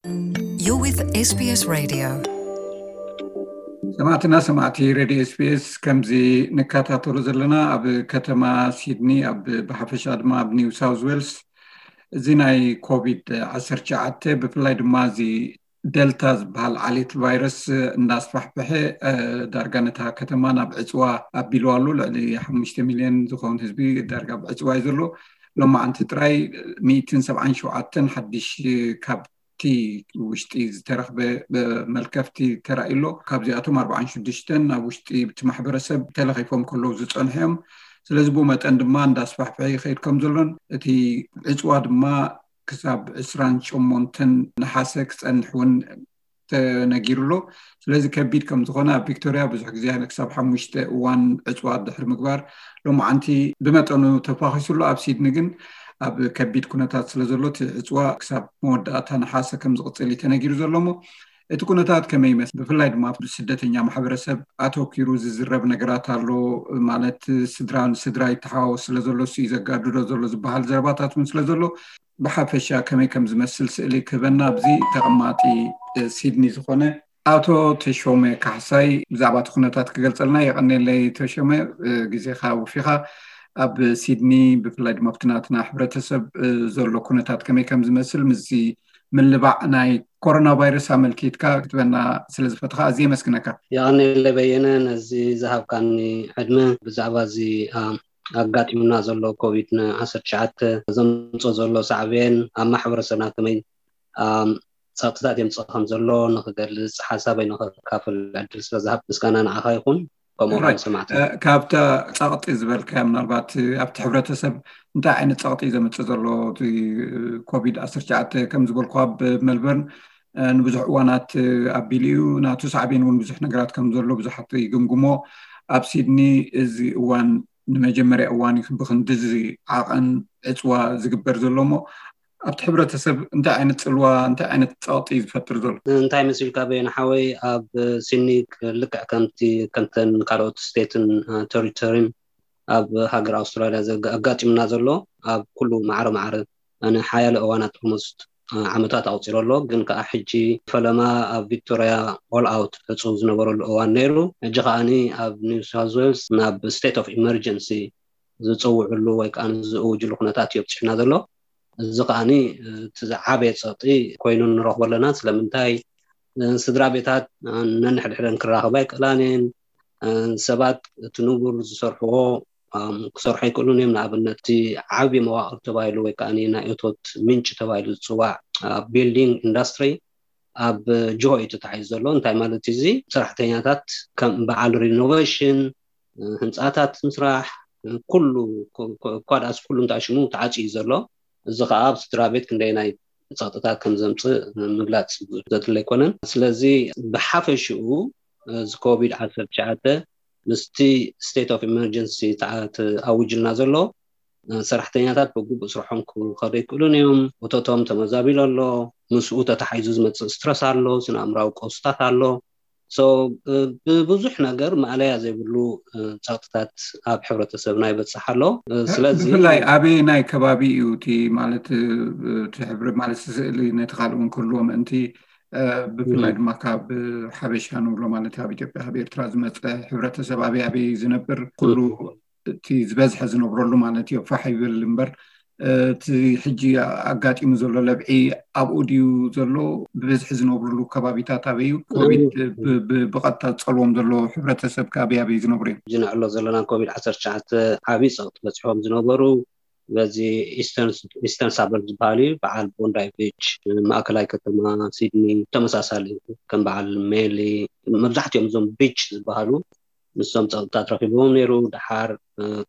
You're with SBS Radio. ሰማዕትና ሰማዕቲ ሬድዮ ኤስቢኤስ፣ ከምዚ ንከታተሎ ዘለና ኣብ ከተማ ሲድኒ ኣብ ብሓፈሻ ድማ ኣብ ኒው ሳውዝ ዌልስ እዚ ናይ ኮቪድ ዓሰርተ ትሽዓተ ብፍላይ ድማ እዚ ደልታ ዝበሃል ዓሌት ቫይረስ እንዳስፋሕፈሐ ዳርጋ ነታ ከተማ ናብ ዕፅዋ ኣቢልዋ ኣሎ። ልዕሊ ሓሙሽተ ሚልዮን ዝኸውን ህዝቢ ዳርጋ ኣብ ዕፅዋ እዩ ዘሎ። ሎማዓንቲ ጥራይ ሚእትን ሰብዓን ሸውዓተን ሓድሽ ካብ እቲ ውሽጢ ዝተረኽበ መልከፍቲ ተራእዩ ኣሎ። ካብዚኣቶም ኣርባዓን ሽዱሽተን ኣብ ውሽጢ እቲ ማሕበረሰብ ተለኺፎም ከለዉ ዝፀንሑ እዮም። ስለዚ ብኡ መጠን ድማ እንዳስፋሕፍሐ ይኸይድ ከም ዘሎን እቲ ዕፅዋ ድማ ክሳብ ዕስራን ሸሞንተን ነሓሰ ክፀንሕ እውን ተነጊሩ ኣሎ። ስለዚ ከቢድ ከም ዝኾነ ኣብ ቪክቶርያ ብዙሕ ግዜ ክሳብ ሓሙሽተ እዋን ዕፅዋ ድሕሪ ምግባር ሎማዓንቲ ብመጠኑ ተፋኺሱ ኣሎ። ኣብ ሲድኒ ግን ኣብ ከቢድ ኩነታት ስለ ዘሎ እቲ ዕፅዋ ክሳብ መወዳእታ ነሓሰ ከም ዝቕፅል እዩ ተነጊሩ ዘሎ። እሞ እቲ ኩነታት ከመይ ይመስል? ብፍላይ ድማ ኣብ ስደተኛ ማሕበረሰብ ኣተኪሩ ዝዝረብ ነገራት ኣሎ። ማለት ስድራ ንስድራ ይተሓዋወስ ስለ ዘሎ እሱ እዩ ዘጋድዶ ዘሎ ዝበሃል ዘረባታት እውን ስለ ዘሎ ብሓፈሻ ከመይ ከም ዝመስል ስእሊ ክህበና ኣብዚ ተቐማጢ ሲድኒ ዝኾነ ኣቶ ተሾመ ካሕሳይ ብዛዕባ እቲ ኩነታት ክገልጸልና። የቐኔለይ ተሾመ፣ ግዜኻ ወፊኻ ኣብ ሲድኒ ብፍላይ ድማ ኣብቲ ናትና ሕብረተሰብ ዘሎ ኩነታት ከመይ ከም ዝመስል ምስዚ ምልባዕ ናይ ኮሮና ቫይረስ ኣመልኪትካ ክትበና ስለ ዝፈትኻ ኣዝየ የመስግነካ። የቐኔለይ በየነ ነዚ ዝሃብካኒ ዕድመ። ብዛዕባ እዚ ኣጋጢሙና ዘሎ ኮቪድ ዓሰርተ ትሽዓተ ዘምፅኦ ዘሎ ሳዕቤን ኣብ ማሕበረሰብና ከመይ ጸቕጥታት የምፅእ ከም ዘሎ ንክገልፅ ሓሳበይ ንክካፍል ዕድል ስለ ዝሃብ ምስጋና ንዓኻ ይኹን። ከምኡ ሰማዕቲ ካብታ ጸቕጢ ዝበልካዮ ምናልባት ኣብቲ ሕብረተሰብ እንታይ ዓይነት ጸቕጢ እዩ ዘምፅእ ዘሎ እቲ ኮቪድ ዓሰርተ ትሽዓተ ከም ዝበልኩ ኣብ ሜልበርን ንብዙሕ እዋናት ኣቢሉ እዩ። ናቱ ሳዕቤን እውን ብዙሕ ነገራት ከም ዘሎ ብዙሓት ይግምግሞ። ኣብ ሲድኒ እዚ እዋን ንመጀመርያ እዋን እዩ ብክንድዚ ዓቐን ዕፅዋ ዝግበር ዘሎ። እሞ ኣብቲ ሕብረተሰብ እንታይ ዓይነት ፅልዋ እንታይ ዓይነት ፀቕጢ እዩ ዝፈጥር ዘሎ? እንታይ መሲልካ በየነ ሓወይ? ኣብ ሲድኒ ልክዕ ከምቲ ከምተን ካልኦት ስቴትን ተሪቶሪን ኣብ ሃገር ኣውስትራልያ ኣጋጢሙና ዘሎ ኣብ ኩሉ ማዕረ ማዕረ ንሓያለ እዋናት ኦልሞስት ዓመታት ኣቑፂሩ ኣሎ። ግን ከዓ ሕጂ ፈለማ ኣብ ቪክቶርያ ኦል ኣውት ዕፁ ዝነበረሉ እዋን ነይሩ። ሕጂ ከዓኒ ኣብ ኒው ሳውዝ ዌልስ ናብ ስቴት ኦፍ ኢመርጀንሲ ዝፅውዕሉ ወይ ከዓ ዝእውጅሉ ኩነታት እዩ ኣብፅሕና ዘሎ። እዚ ከዓኒ እቲ ዝዓበየ ፀቕጢ ኮይኑ ንረኽቦ ኣለና። ስለምንታይ ስድራ ቤታት ነንሕድሕደን ክራኸባ ኣይክእላን እየን። ሰባት እቲ ንቡር ዝሰርሕዎ ክሰርሑ ኣይክእሉን እዮም። ንኣብነት እቲ ዓብዪ መዋቕር ተባሂሉ ወይ ከዓ ናይ እቶት ምንጭ ተባሂሉ ዝፅዋዕ ቢልዲንግ ኢንዳስትሪ ኣብ ጅሆ እዩ ተታሒዙ ዘሎ። እንታይ ማለት እዩ እዚ? ሰራሕተኛታት ከም በዓል ሪኖቬሽን፣ ህንፃታት ምስራሕ፣ ኩሉ ኳድኣስ ኩሉ እንታይ ሽሙ ተዓፅዩ ዘሎ። እዚ ከዓ ኣብ ስድራ ቤት ክንደይናይ ፀቕጥታት ከም ዘምፅእ ምግላፅ ዘድለ ኣይኮነን። ስለዚ ብሓፈሽኡ እዚ ኮቪድ ዓሰርተ ትሽዓተ ምስቲ ስቴት ኦፍ ኢመርጀንሲ ተኣውጅልና ዘሎ ሰራሕተኛታት ብግቡእ ስርሖም ክኸዱ ኣይክእሉን እዮም። እቶቶም ተመዛቢሉ ኣሎ። ምስኡ ተታሒዙ ዝመፅእ ስትረስ ኣሎ፣ ስነ ኣእምራዊ ቀውስታት ኣሎ። ብብዙሕ ነገር ማእለያ ዘይብሉ ፀቕጥታት ኣብ ሕብረተሰብና ይበፅሕ ኣሎ። ስለዚ ብፍላይ ኣበየናይ ከባቢ እዩ እቲ ማለት እቲ ሕብረ ማለት ስእሊ ነቲ ካልእ እውን ክህልዎ ምእንቲ ብፍላይ ድማ ካብ ሓበሻ ንብሎ ማለት ኣብ ኢትዮጵያ ካብ ኤርትራ ዝመፀ ሕብረተሰብ ኣበይ ኣበይ ዝነብር ኩሉ እቲ ዝበዝሐ ዝነብረሉ ማለት እዩ ፋሕ ይብል እምበር እቲ ሕጂ ኣጋጢሙ ዘሎ ለብዒ ኣብኡ ድዩ ዘሎ? ብብዝሒ ዝነብርሉ ከባቢታት ኣበይ እዩ? ኮቪድ ብቐጥታ ዝፀልዎም ዘሎ ሕብረተሰብ ከ ኣበይ ኣበይ ዝነብሩ እዮም? ሕጂ ንዕሎ ዘለና ኮቪድ ዓሰርተ ትሽዓተ ዓብዪ ፀቕጢ በፂሖም ዝነበሩ በዚ ኢስተርን ሳበርብ ዝበሃል እዩ። በዓል ቦንዳይ ቢች፣ ማእከላይ ከተማ ሲድኒ ተመሳሳሊ ከም በዓል ሜሊ መብዛሕትኦም እዞም ቢች ዝበሃሉ ንሶም ፀቕጥታት ረኪቦም ነይሩ። ደሓር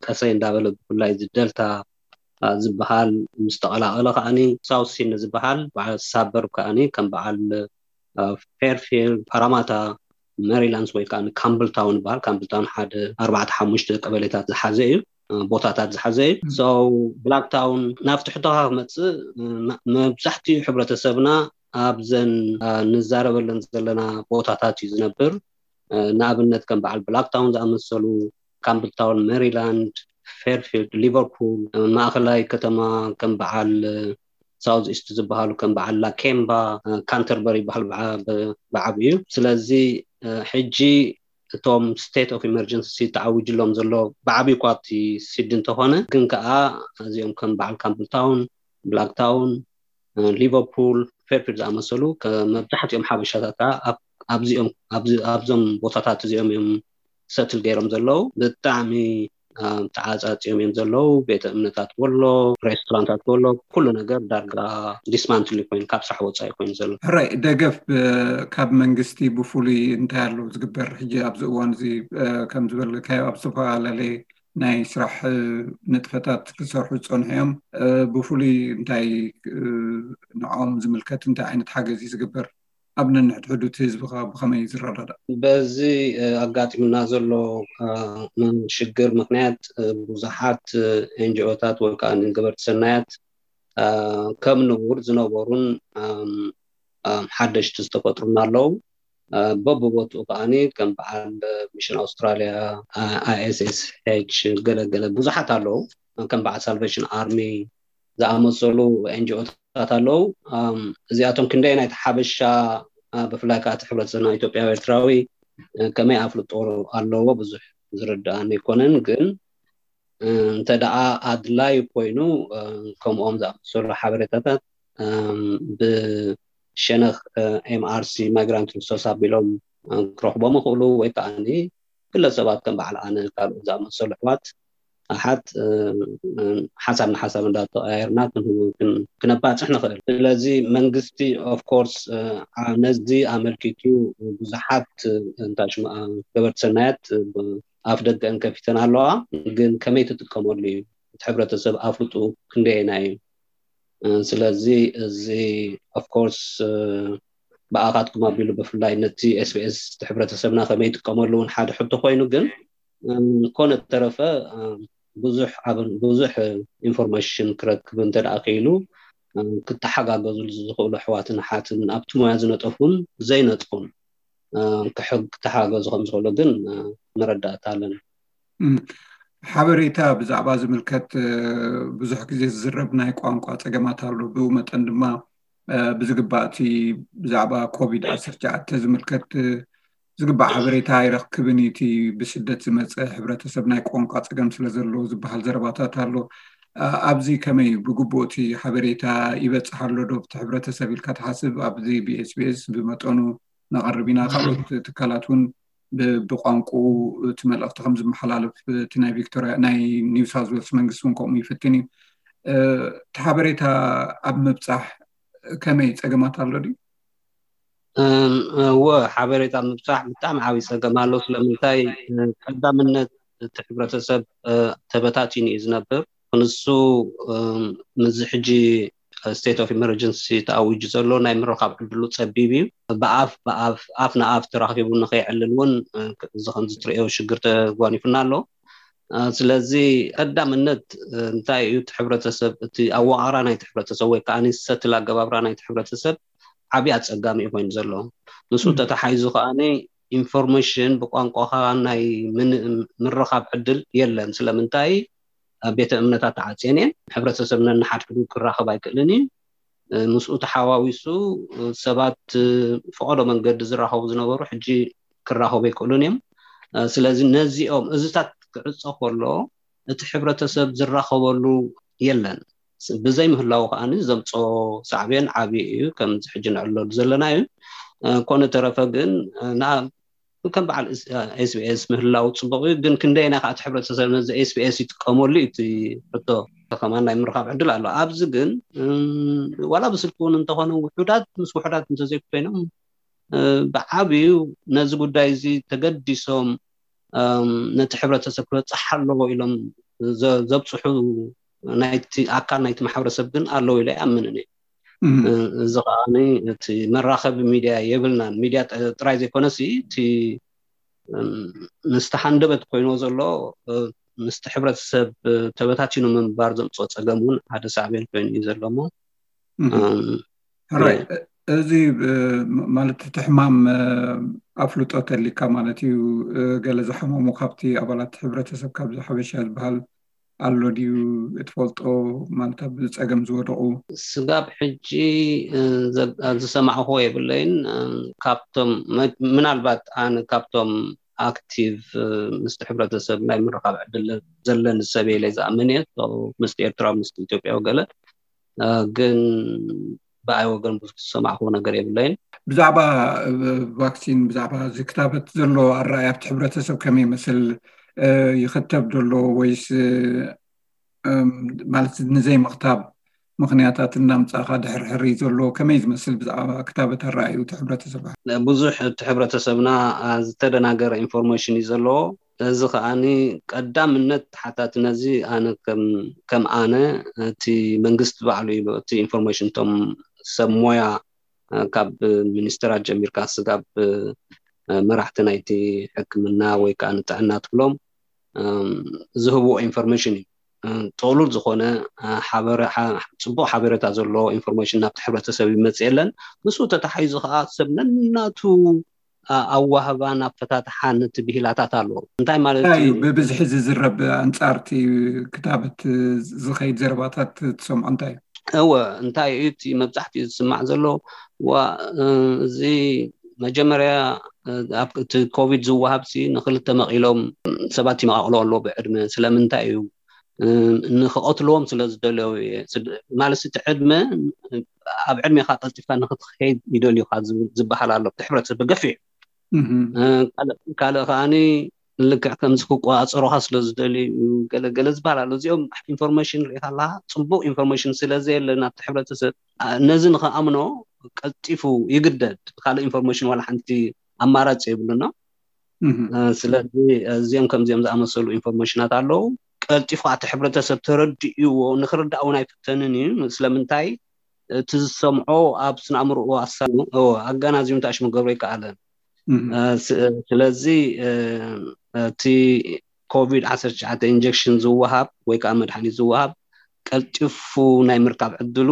ቀሰይ እንዳበለ ብፍላይ እዚ ደልታ ዝበሃል ምስ ተቐላቐለ ከዓኒ ሳውት ሲድኒ ዝበሃል በዓል ሳበርብ ከዓኒ ከም በዓል ፌርፊልድ፣ ፓራማታ፣ ሜሪላንድስ ወይ ከዓ ካምብል ታውን ይበሃል። ካምብል ታውን ሓደ ኣርባዕተ ሓሙሽተ ቀበሌታት ዝሓዘ እዩ፣ ቦታታት ዝሓዘ እዩ። ብላክ ታውን ናብ ትሕቶኻ ክመፅእ መብዛሕትኡ ሕብረተሰብና ኣብዘን ንዛረበለን ዘለና ቦታታት እዩ ዝነብር። ንኣብነት ከም በዓል ብላክ ታውን ዝኣመሰሉ፣ ካምብል ታውን ሜሪላንድ፣ ፌርፊልድ፣ ሊቨርፑል፣ ማእኸላይ ከተማ ከም በዓል ሳውዝ ኢስት ዝበሃሉ ከም በዓል ላኬምባ፣ ካንተርበሪ ይበሃል ብዓብዩ። ስለዚ ሕጂ እቶም ስቴት ኦፍ ኢመርጀንሲ ተዓዊጅሎም ዘሎ ብዓብዩ እኳ እቲ ሲድኒ እንተኾነ፣ ግን ከዓ እዚኦም ከም በዓል ካምፕል ታውን፣ ብላክ ታውን፣ ሊቨርፑል፣ ፌርፊልድ ዝኣመሰሉ መብዛሕትኦም ሓበሻታት ኣብዞም ቦታታት እዚኦም እዮም ሰትል ገይሮም ዘለዉ። ብጣዕሚ ተዓፃፂዮም እዮም ዘለዉ። ቤተ እምነታት ወሎ፣ ሬስቶራንታት ወሎ፣ ኩሉ ነገር ዳርጋ ዲስማንትል ኮይኑ፣ ካብ ስራሕ ወፃኢ ኮይኑ ዘሎ። ሕራይ ደገፍ ካብ መንግስቲ ብፍሉይ እንታይ ኣሎ ዝግበር? ሕጂ ኣብዚ እዋን እዚ ከም ዝበልካዮ ኣብ ዝተፈላለየ ናይ ስራሕ ንጥፈታት ክሰርሑ ዝፀንሑ እዮም። ብፍሉይ እንታይ ንዕኦም ዝምልከት እንታይ ዓይነት ሓገዝ እዩ ዝግበር? ኣብ ነንሕድሕዱ እቲ ህዝቢ ከ ብኸመይ እዩ ዝረዳዳእ? በዚ ኣጋጢሙና ዘሎ ሽግር ምክንያት ብዙሓት ኤንጂኦታት ወይ ከዓ ገበርቲ ሰናያት ከም ንቡር ዝነበሩን ሓደሽቲ ዝተፈጥሩና ኣለዉ። በብቦትኡ ከዓኒ ከም በዓል ሚሽን ኣውስትራሊያ፣ ኣይኤስኤስኤች፣ ገለገለ ብዙሓት ኣለዉ። ከም በዓል ሳልቬሽን ኣርሚ ዝኣመሰሉ ኤንጂኦታት ኣለዉ። እዚኣቶም ክንደይ ናይቲ ሓበሻ፣ ብፍላይ ከዓ እቲ ሕብረተሰብና ኢትዮጵያዊ ኤርትራዊ ከመይ ኣፍልጦ ኣለዎ ብዙሕ ዝርዳእኒ ኣይኮነን። ግን እንተ ደኣ ኣድላይ ኮይኑ ከምኦም ዝኣመሰሉ ሓበሬታታት ብሸነኽ ኤምኣርሲ ማይግራንት ሪሶርስ ኣቢሎም ክረኽቦም ይኽእሉ፣ ወይ ከዓኒ ግለሰባት ከም በዓል ኣነ ካልኦት ዝኣመሰሉ ኣሕዋት ኣሓት ሓሳብ ንሓሳብ እንዳተቀያየርና ክንህቡ ክነባፅሕ ንኽእል። ስለዚ መንግስቲ ኦፍኮርስ ነዚ ኣመልኪቱ ብዙሓት እንታይ ሽሙ ገበርቲ ሰናያት ኣፍ ደገ እንከፊተን ኣለዋ። ግን ከመይ ትጥቀመሉ እዩ? እቲ ሕብረተሰብ ኣፍልጡ ክንደየና እዩ? ስለዚ እዚ ኦፍኮርስ ብኣኻትኩም ኣቢሉ ብፍላይ ነቲ ኤስቢኤስ እቲ ሕብረተሰብና ከመይ ይጥቀመሉ እውን ሓደ ሕቶ ኮይኑ፣ ግን ኮነ ተረፈ ብዙሕ ኢንፎርሜሽን ክረክብ እንተ ደኣ ክኢሉ ክተሓጋገዙ ዝኽእሉ ኣሕዋትን ኣሓትን ኣብቲ ሞያ ዝነጠፉን ዘይነጥፉን ክተሓገዙ ከም ዝኽእሉ ግን መረዳእታ ኣለኒ። ሓበሬታ ብዛዕባ ዝምልከት ብዙሕ ግዜ ዝዝረብ ናይ ቋንቋ ፀገማት ኣሎ። ብኡ መጠን ድማ ብዝግባእ እቲ ብዛዕባ ኮቪድ ዓሰርተ ትሽዓተ ዝምልከት ዝግባእ ሓበሬታ ኣይረክብን እዩ። እቲ ብስደት ዝመፀ ሕብረተሰብ ናይ ቋንቋ ፀገም ስለ ዘለዎ ዝበሃል ዘረባታት ኣሎ። ኣብዚ ከመይ ብግቡእ እቲ ሓበሬታ ይበፅሕ ኣሎ ዶ ብቲ ሕብረተሰብ ኢልካ ትሓስብ? ኣብዚ ብኤስቢኤስ ብመጠኑ ነቐርብ ኢና። ካልኦት ትካላት እውን ብቋንቁ እቲ መልእኽቲ ከም ዝመሓላለፍ እቲ ናይ ቪክቶሪያ ናይ ኒው ሳውዝ ዌልስ መንግስቲ እውን ከምኡ ይፍትን እዩ። እቲ ሓበሬታ ኣብ ምብፃሕ ከመይ ፀገማት ኣሎ ድዩ? እወ፣ ሓበሬታ ምብፃሕ ብጣዕሚ ዓብዪ ፀገም ኣሎ። ስለምንታይ? ቀዳምነት እቲ ሕብረተሰብ ተበታቲኑ እዩ ዝነብር። ክንሱ ምዚ ሕጂ ስቴት ኦፍ ኢመርጀንሲ ተኣዊጁ ዘሎ ናይ ምርኻብ ዕድሉ ፀቢብ እዩ። ብኣፍ ብኣፍ ኣፍ ንኣፍ ተራኺቡ ንኸይዕልል እውን እዚ ከምዚ ትርእዮ ሽግር ተጓኒፉና ኣሎ። ስለዚ ቀዳምነት እንታይ እዩ? እቲ ሕብረተሰብ፣ እቲ ኣወቓቕራ ናይቲ ሕብረተሰብ ወይ ከዓ ሰትል ኣገባብራ ናይቲ ሕብረተሰብ ዓብዪ ኣፀጋሚ እዩ ኮይኑ ዘሎ። ምስኡ ተተሓይዙ ከዓ ኢንፎርሜሽን ብቋንቋኻ ናይ ምርኻብ ዕድል የለን። ስለምንታይ? ቤተ እምነታት ተዓፅየን እየን። ሕብረተሰብ ነንሓድሕዱ ክራኸብ ኣይክእልን እዩ። ምስኡ ተሓዋዊሱ ሰባት ፈቐዶ መንገዲ ዝራኸቡ ዝነበሩ ሕጂ ክራኸቡ ኣይክእሉን እዮም። ስለዚ ነዚኦም እዝታት ክዕፆ ከሎ እቲ ሕብረተሰብ ዝራኸበሉ የለን። ብዘይ ምህላው ከዓኒ ዘምፅኦ ሳዕቤን ዓብዪ እዩ፣ ከምዚ ሕጂ ንዕለሉ ዘለና እዩ። ኮነ ተረፈ ግን ከም በዓል ኤስቢኤስ ምህላው ፅቡቕ እዩ። ግን ክንደየናይ ከዓ እቲ ሕብረተሰብ ነዚ ኤስቢኤስ ይጥቀመሉ እዩ? እቲ ሕቶ ከማን ናይ ምርኻብ ዕድል ኣሎ። ኣብዚ ግን ዋላ ብስልኪ እውን እንተኾነ ውሑዳት ምስ ውሑዳት እንተዘይኮይኖም ብዓብዩ ነዚ ጉዳይ እዚ ተገዲሶም ነቲ ሕብረተሰብ ክበፅሕ ኣለዎ ኢሎም ዘብፅሑ ናይቲ ኣካል ናይቲ ማሕበረሰብ ግን ኣለዉ ኢለ ኣይኣምንን እየ። እዚ ከዓ እቲ መራኸቢ ሚድያ የብልናን። ሚድያ ጥራይ ዘይኮነሲ እቲ ምስቲ ሃንደበት ኮይንዎ ዘሎ ምስቲ ሕብረተሰብ ተበታቲኑ ምንባር ዘምፅኦ ፀገም እውን ሓደ ሳዕቤን ኮይኑ እዩ ዘሎ እሞ ሕራይ እዚ ማለት እቲ ሕማም ኣፍልጦ ተሊካ ማለት እዩ። ገለ ዝሓመሙ ካብቲ ኣባላት ሕብረተሰብ ካብዚ ሓበሻ ዝበሃል ኣሎ ድዩ? እትፈልጦ፣ ማለት ኣብ ጸገም ዝወደቑ? ስጋብ ሕጂ ዝሰማዕኹዎ የብለይን። ካብቶም፣ ምናልባት ኣነ ካብቶም ኣክቲቭ ምስቲ ሕብረተሰብ ናይ ምርኻብ ዕድል ዘለኒ ሰብ ኢለ ዝኣምን እየ። ምስቲ ኤርትራ፣ ምስቲ ኢትዮጵያ ገለ፣ ግን ብኣይ ወገን ብዙሕ ዝሰማዕኹዎ ነገር የብለይን። ብዛዕባ ቫክሲን፣ ብዛዕባ እዚ ክታበት ዘሎ ኣረኣእያ ኣብቲ ሕብረተሰብ ከመይ ይመስል? ይኽተብ ዘሎ ወይስ፣ ማለት ንዘይምኽታብ ምኽንያታት እናምጻእኻ ድሕርሕር እዩ ዘሎ? ከመይ ዝመስል ብዛዕባ ክታበት ኣረኣእዩ እቲ ሕብረተሰብ? ብዙሕ እቲ ሕብረተሰብና ዝተደናገረ ኢንፎርሜሽን እዩ ዘለዎ። እዚ ከዓኒ ቀዳምነት ተሓታቲ ነዚ ኣነ ከም ኣነ፣ እቲ መንግስቲ ባዕሉ እዩ እቲ ኢንፎርሜሽን፣ እቶም ሰብ ሞያ ካብ ሚኒስትራት ጀሚርካ ስጋብ መራሕቲ ናይቲ ሕክምና ወይ ከዓ ንጥዕና ትብሎም ዝህብዎ ኢንፎርሜሽን እዩ። ጥቕሉል ዝኾነ ጽቡቕ ሓበሬታ ዘለዎ ኢንፎርሜሽን ናብቲ ሕብረተሰብ ይመጽእ የለን። ምስኡ ተታሓይዙ ከዓ ሰብ ነናቱ ኣዋህባን ኣፈታትሓን እቲ ብሂላታት ኣለዎ። እንታይ ማለት እዩ? ብብዝሒ ዝዝረብ ኣንጻርቲ ክታበት ዝኸይድ ዘረባታት ትሰምዖ እንታይ እዩ? እወ፣ እንታይ እዩ እቲ መብዛሕትኡ ዝስማዕ ዘሎ? ዋ፣ እዚ መጀመርያ እቲ ኮቪድ ዝወሃብ ሲ ንክልተ መቒሎም ሰባት ይመቓቕሎ ኣሎ ብዕድመ። ስለምንታይ እዩ? ንክቐትልዎም ስለ ዝደለዩ እየ። ማለት እቲ ዕድመ፣ ኣብ ዕድሜኻ ቀልጢፍካ ንክትኸይድ ይደልዩካ ዝበሃል ኣሎ። እቲ ሕብረተሰብ ብገፊሕ ካልእ ከዓኒ ልክዕ ከምዚ ክቆፃፀሩካ ስለ ዝደልዩ ገለገለ ዝበሃል ኣሎ። እዚኦም ኢንፎርሜሽን ርኢካ ኣለካ፣ ፅቡቅ ኢንፎርሜሽን ስለ ዘየለ ናብቲ ሕብረተሰብ ነዚ ንክኣምኖ ቀልጢፉ ይግደድ። ካልእ ኢንፎርሜሽን ዋላ ሓንቲ ኣማራፂ የብሉና። ስለዚ እዚኦም ከምዚኦም ዝኣመሰሉ ኢንፎርሜሽናት ኣለዉ። ቀልጢፉ እቲ ሕብረተሰብ ተረዲእዎ ንክርዳእ እውን ኣይፍተንን እዩ። ስለምንታይ? እቲ ዝሰምዖ ኣብ ስነ ኣእምሮኡ ኣሳኑ ኣጋናዝዩ እንታይ ሽሙ ገብሮ ይከኣለ። ስለዚ እቲ ኮቪድ ዓሰርተ ትሽዓተ ኢንጀክሽን ዝወሃብ ወይ ከዓ መድሓኒት ዝወሃብ ቀልጢፉ ናይ ምርካብ ዕድሉ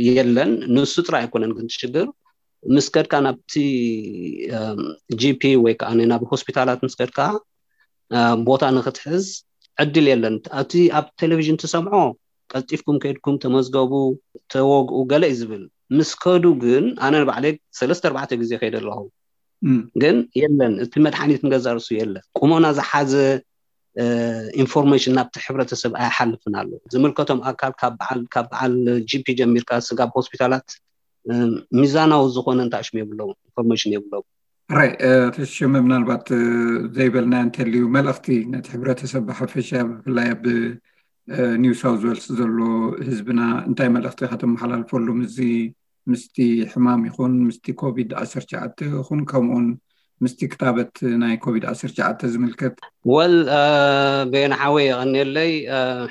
የለን። ንሱ ጥራይ ኣይኮነን ግን ሽግር፣ ምስ ከድካ ናብቲ ጂፒ ወይ ከዓ ናብ ሆስፒታላት ምስ ከድካ ቦታ ንክትሕዝ ዕድል የለን። እቲ ኣብ ቴሌቪዥን ትሰምዖ ቀልጢፍኩም ከድኩም ተመዝገቡ፣ ተወግኡ ገለ እዩ ዝብል። ምስ ከዱ ግን ኣነ ንባዕለይ ሰለስተ ኣርባዕተ ግዜ ከይደ ኣለኹ። ግን የለን፣ እቲ መድሓኒት ንገዛ ርሱ የለን። ቁመና ዝሓዘ ኢንፎርሜሽን ናብቲ ሕብረተሰብ ኣይሓልፍን ኣሎ። ዝምልከቶም ኣካል ካብ በዓል ጂፒ ጀሚርካ ስጋብ ሆስፒታላት ሚዛናዊ ዝኾነ እንታይ ሽም የብሎም፣ ኢንፎርሜሽን የብሎም። ራይ ተሽመ፣ ምናልባት ዘይበልና እንተልዩ መልእኽቲ ነቲ ሕብረተሰብ ብሓፈሻ፣ ብፍላይ ኣብ ኒው ሳውዝ ዌልስ ዘሎ ህዝብና እንታይ መልእኽቲ ከተመሓላልፈሉ ምስዚ ምስቲ ሕማም ይኹን ምስቲ ኮቪድ ዓሰርተ ትሽዓተ ይኹን ከምኡውን ምስቲ ክታበት ናይ ኮቪድ ዓሰርተ ትሽዓተ ዝምልከት? ወል ቤን ሓወይ የቐንየለይ።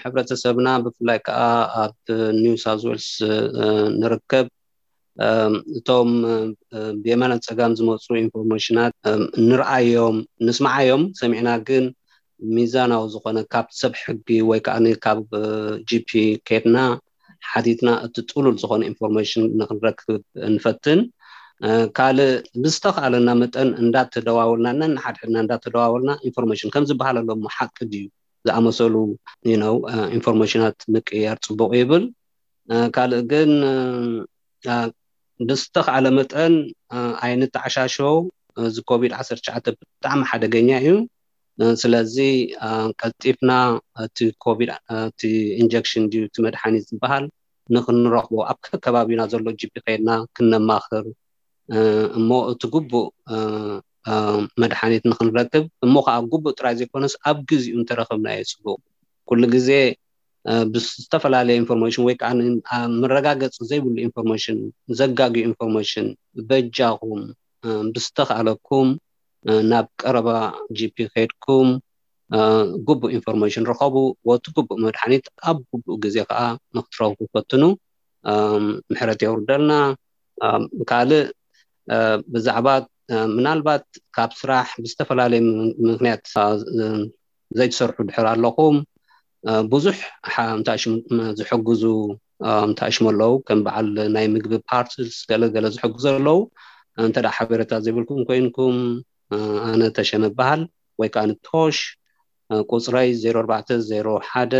ሕብረተሰብና ብፍላይ ከዓ ኣብ ኒው ሳውዝ ዌልስ ንርከብ እቶም ብየማነ ፀጋም ዝመፁ ኢንፎርሜሽናት ንርኣዮም፣ ንስምዓዮም፣ ሰሚዕና ግን ሚዛናዊ ዝኾነ ካብ ሰብ ሕጊ ወይ ከዓ ካብ ጂፒ ከድና ሓቲትና እቲ ጥሉል ዝኾነ ኢንፎርሜሽን ንክንረክብ ንፈትን። ካልእ ብዝተኽኣለና መጠን እንዳተደዋወልና፣ ነንሓድሕድና እንዳተደዋወልና ኢንፎርሜሽን ከም ዝበሃል ኣሎ እሞ ሓቂ ድዩ ዝኣመሰሉ ኢንፎርሜሽናት ምቅያር ፅቡቕ ይብል። ካልእ ግን ብዝተኽኣለ መጠን ኣይንተዓሻሸው። እዚ ኮቪድ ዓሰርተ ትሽዓተ ብጣዕሚ ሓደገኛ እዩ። ስለዚ ቀልጢፍና እቲ ኮቪድ፣ እቲ ኢንጀክሽን ድዩ እቲ መድሓኒት ዝበሃል ንክንረኽቦ ኣብ ከከባቢና ዘሎ ጂፒ ከይድና ክነማኽር እሞ እቲ ግቡእ መድሓኒት ንክንረክብ እሞ ከዓ ግቡእ ጥራይ ዘይኮነስ ኣብ ግዚኡ እንተረኸብናዮ ፅቡቅ። ኩሉ ግዜ ብዝተፈላለየ ኢንፎርሜሽን ወይ ከዓ መረጋገፂ ዘይብሉ ኢንፎርሜሽን፣ ዘጋግዩ ኢንፎርሜሽን በጃኹም ብዝተኽኣለኩም ናብ ቀረባ ጂፒ ከድኩም ግቡእ ኢንፎርሜሽን ርኸቡ። ወቲ ግቡእ መድሓኒት ኣብ ግቡእ ግዜ ከዓ ንክትረኽቡ ፈትኑ። ምሕረት የውርደልና። ካልእ ብዛዕባ ምናልባት ካብ ስራሕ ብዝተፈላለየ ምክንያት ዘይትሰርሑ ድሕር ኣለኹም፣ ብዙሕ እንታይ ሽም ዝሕግዙ እንታይ ሽም ኣለዉ፣ ከም በዓል ናይ ምግቢ ፓርትስ ገለገለ ዝሕግዙ ኣለዉ። እንተ ሓበሬታ ዘይብልኩም ኮይንኩም፣ ኣነ ተሸመ በሃል ወይ ከዓ ንቶሽ ቁፅረይ ዜሮ ኣርባዕተ ዜሮ ሓደ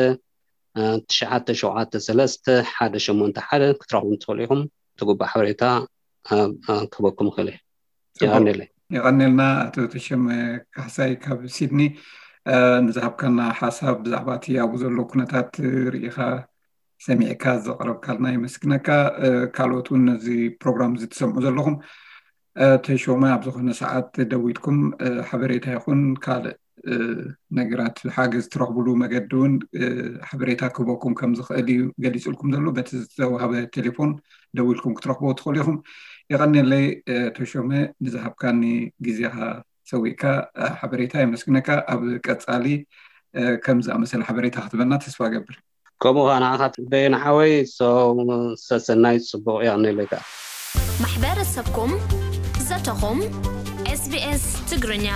ትሽዓተ ሸውዓተ ሰለስተ ሓደ ሸሞንተ ሓደ ክትረኽቡ ትኽእሉ ኢኹም። ትጉባእ ሓበሬታ ክበኩም ይኽእል። የቐንየለይ። የቐንየልና ኣቶ ተሸመ ካሕሳይ ካብ ሲድኒ ንዝሃብካና ሓሳብ ብዛዕባ እቲ ኣብኡ ዘሎ ኩነታት ርኢኻ ሰሚዕካ ዘቕረብካልና የመስግነካ። ካልኦት እውን ነዚ ፕሮግራም እዚ ትሰምዑ ዘለኹም ተሾመ ኣብ ዝኾነ ሰዓት ደዊልኩም ሓበሬታ ይኹን ካልእ ነገራት ሓገዝ ትረኽብሉ መገዲ እውን ሓበሬታ ክህበኩም ከም ዝኽእል እዩ ገሊፅልኩም ዘሎ። በቲ ዝተዋህበ ቴሌፎን ደዊልኩም ክትረኽቦ ትኽእሉ ኢኹም። የቐንየለይ ተሾመ ንዝሃብካኒ ግዜኻ ሰዊእካ ሓበሬታ የመስግነካ። ኣብ ቀፃሊ ከም ዝኣመሰለ ሓበሬታ ክትበና ተስፋ ገብር። ከምኡ ከዓ ንዓኻ በየነ ሓወይ ሰሰናይ ፅቡቕ። የቐንየለይ ከዓ ማሕበረሰብኩም ዘተኹም ኤስቢኤስ ትግርኛ